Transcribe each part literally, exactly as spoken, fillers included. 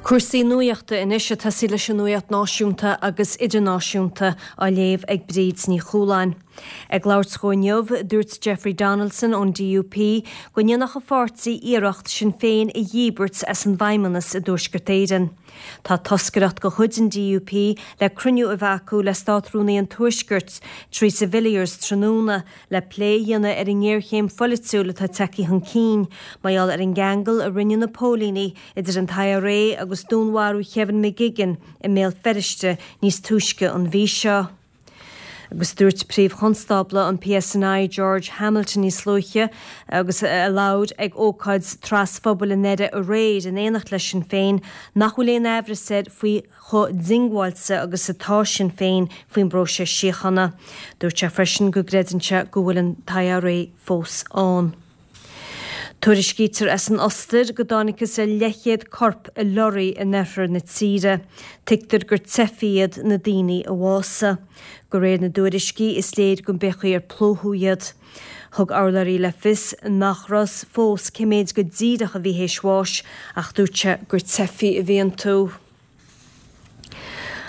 Cúrsaí nuachta anois ag tosaí leis an nuacht náisiúnta agus idirnáisiúnta á léamh ag Bríd Ní Chualáin. Ag labhairt dó inniu, dúirt Jeffrey Donaldson ón D U P go ndéanfadh a pháirtí iarracht Sinn Féin a dhíbirt as an bhFeidhmeannas i dTuaisceart Éireann. Tá toscaireacht de chuid an D U P le cruinniú a bheith acu le Státrúnaí an Tuaiscirt, Theresa Villiers, tráthnóna le plé a dhéanamh ar an ngéarchéim pholaitiúil atá tagtha chun cinn, mar gheall ar an gceangal a rinne na póilíní idir an I R A agus dúnmharú Kevin McGuigan i mBéal Feirste níos túisce an mhí seo. Agus dúirt príomh-chonstábla an P S N I George Hamilton níos luaithe agus a labhair ag ócáid trasphobail i nDoire aréir in éineacht leis Sinn Féin nach bhfuil aon amhras air faoi chomh diongbháilte agus atá Sinn Féin faoin bpróiseas síochána. Dúirt sé freisin go gcreideann sé go bhfuil an I R A fós ann. Tuairiscítear as an Ostair go dtángthas ar leathchéad corp i lorry in oirthear na tíre. Tuigtear gur teifigh iad na daoine a bhásaigh. De réir na dtuairiscí, is léir go mb'é ar plódadh iad. Thug urlabhraí le fios nach raibh a fhios fós cé mhéad go díreach a bhí théis bháis, ach dúirt sé gur teifigh a bhí iontu.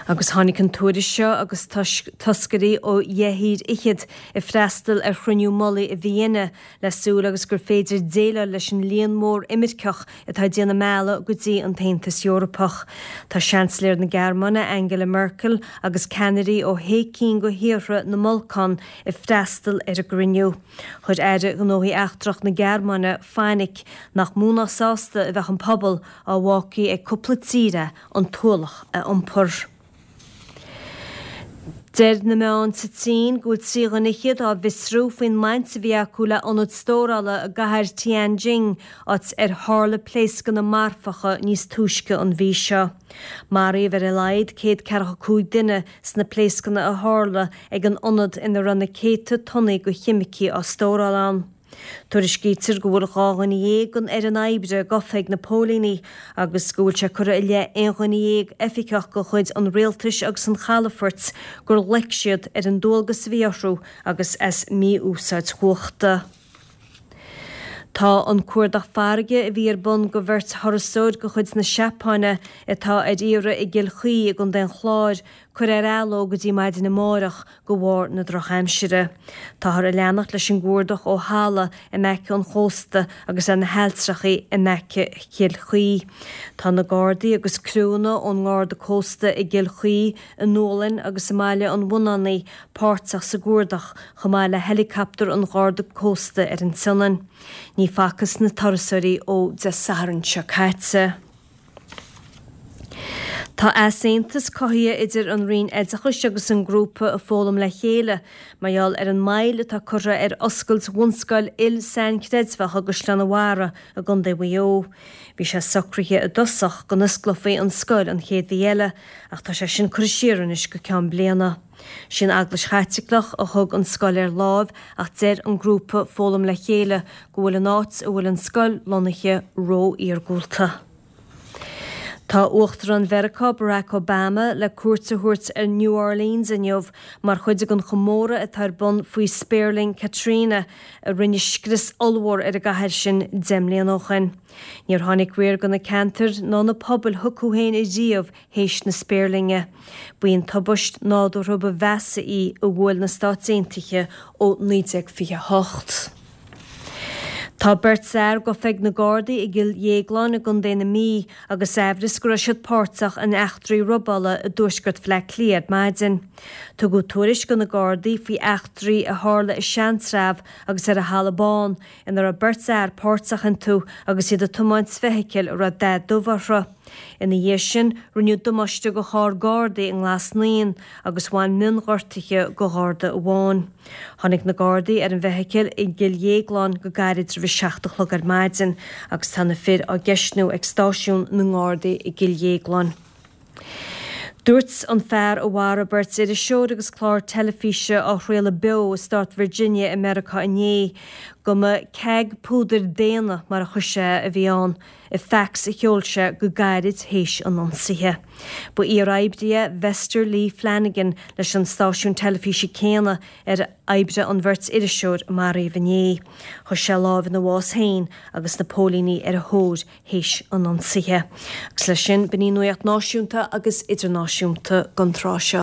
Agus tháinig an tuairisc seo agus toscairí ó dheich dtír fhichead ag freastal ar chruinniú mullaigh i Vienna le súil agus gur féidir déileáil leis an líon mór imirceach atá ag déanamh a mbealaigh go dtí an tAontas Eorpach. Tá Seansailéir na Gearmáine Angela Merkel agus ceannairí ó shé cinn de thíortha na mBalcán ag freastal ar an gcruinniú. Chuir Aire Gnóthaí Eachtracha na Gearmáine fainic nach mó ná sásta a bheadh an pobal dá bhfágfaí ag cúpla tír an t-ualach a iompar. Deir na meáin sa tSín go bhfuil trí dhuine fhichead á bhfiosrú faoin mbaint a bhí acu le ionad stórála i gcathair Tianjin, áit ar tharla pléascanna marfacha níos túisce an mhí seo. Maraíodh ar a laghad céad ceathracha cúig duine sna pléascanna a tharla ag an ionad ina raibh na céadta tonnaí de cheimicí á stóráil ann. Tuairiscítear go bhfuil dhá dhuine dhéag den fhoireann oibre gafa ag na póilíní agus go bhfuil sé curtha i leith aon dhuine dhéag oifigeach de chuid an rialtais agus an chalafoirt gur loic siad ar an dualgas a bhí orthu agus as mí-úsáid chumhachta. Tá an cuardach farraige a bhí ar bun do bheirt thurasóir de chuid na Seapáine atá ar iarraidh i gCill Chaoi i gContae an Chláir curtha ar athló go dtí maidin amárach de bharr na drochaimsire. Táthar ag leanacht leis an gcuardach ó thalamh in aice an chósta agus ar na hailltreacha in aice Chill Chaoi. Tá na Gardaí agus criúnna ón nGarda Cósta i gCill Chaoi, i nDúlainn agus i mBaile an Bhunánaigh páirteach sa gcuardach chomh maith le helicopter an Gharda Cósta ar an tSionainn. Ní facthas na turasóirí ó Dé Sathairn seo caite. Tá easaontas cothaithe idir an Roinn Oideachais agus an grúpa Foghlaim le Chéile, mar gheall ar an moill atá curtha ar oscailt bhunscoil il-sainchreidmheach i gCaisleán an Bharraigh i gContae Mhaigh Eo. Bhí sé socraithe i dtosach go n-osclófaí an scoil an chéad mhí eile, ach tá sé sin curtha siar anois go ceann bliana. Sin Eaglais Chaitliceach a thug an scoil ar láimh, ach deir an grúpa Foghlaim le Chéile go bhfuil an áit a bhfuil an scoil lonnaithe ró-iargúlta. Tá Uachtarán Mheiriceá Barack Obama le cuairt a thabhairt ar New Orleans inniu mar chuid den chomóradh atá ar bun faoi spéirling Katrina a rinne scrios ollmhór ar an gcathair sin deich mbliana ó shin. Níor tháinig riar go na ceantair ná na pobail chucu féin riamh théis na spéirlinge. B'í an tubaiste nádúrtha ba mheasa í a bhuail na Stáit Aontaithe ó naoi déag fiche hocht. Tá beirt fhear gafa ag na Gardaí i gCill Dhéagláin i gContae na Mí agus amhras go raibh siad páirteach in eachtraí robála i dtuaisceart Bhaile Átha Cliath ar maidin. Tugadh tuairisc do na Gardaí faoi eachtraí a tharla i Seantrabh agus ar an Halla Bán ina raibh beirt fhear páirteach iontu agus iad ag tiomáint feithicil a raibh dath dubh orthu. Ina dhiaidh sin, rinneadh damáiste do charr Gardaí i nGlas Naíon agus bhain mionghortuithe do Gharda amháin. Tháinig na Gardaí ar an bhfeithicil i gCill Dhéagláin go gairid roimh a seacht a chlog ar maidin agus tá na fir á gceistniú ag stáisiún na nGardaí i gCill Dhéagláin. Dúirt an fear a mharaigh beirt iriseoir agus clár teilifíse á chraoladh beo i stát Virginia i Meiriceá inné go mba ceaig púdair daonna mar a chuir sé a bhí ann. i facs a sheol sé go gairid théis an ionsaithe. Ba iar-oibrí é Vester Lee Flanagan leis an stáisiún teilifíse céanna ar oibrigh an bheirt iriseoir a maraíodh inné. Chuir sé lámh ina bhás féin agus na póilíní ar a thóir théis an ionsaithe. Agus leis sin b'in í nuacht náisiúnta agus idirnáisiúnta don tráth seo.